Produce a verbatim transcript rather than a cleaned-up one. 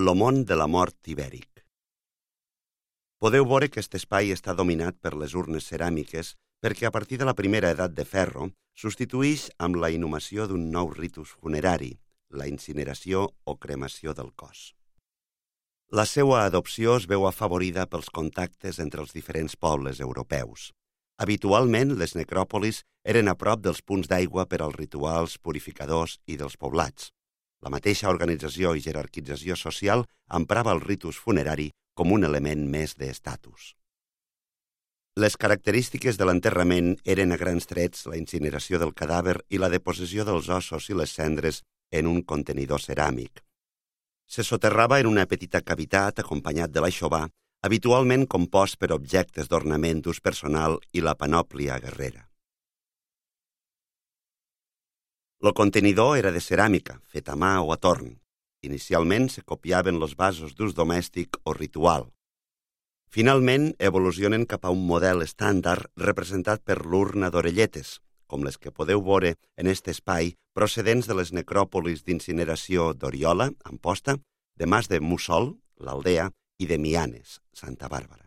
Lo món de la mort ibèric. Podeu veure que aquest espai està dominat per les urnes ceràmiques perquè a partir de la primera edat de ferro substitueix amb la inhumació d'un nou ritus funerari, la incineració o cremació del cos. La seva adopció es veu afavorida pels contactes entre els diferents pobles europeus. Habitualment, les necròpolis eren a prop dels punts d'aigua per als rituals purificadors i dels poblats. La mateixa organització i jerarquització social emprava el ritus funerari com un element més d'estatus. Les característiques de l'enterrament eren a grans trets la incineració del cadàver i la deposició dels ossos i les cendres en un contenidor ceràmic. Se soterrava en una petita cavitat acompanyat de l'aixovar, habitualment compost per objectes d'ornament d'ús personal i la panòplia guerrera. El contenidor era de ceràmica, fet a mà o a torn. Inicialment se copiaven els vasos d'ús domèstic o ritual. Finalment, evolucionen cap a un model estàndard representat per l'urna d'orelletes, com les que podeu veure en aquest espai procedents de les necròpolis d'incineració d'Oriola, Amposta, de Mas de Mussol, l'Aldea, i de Mianes, Santa Bàrbara.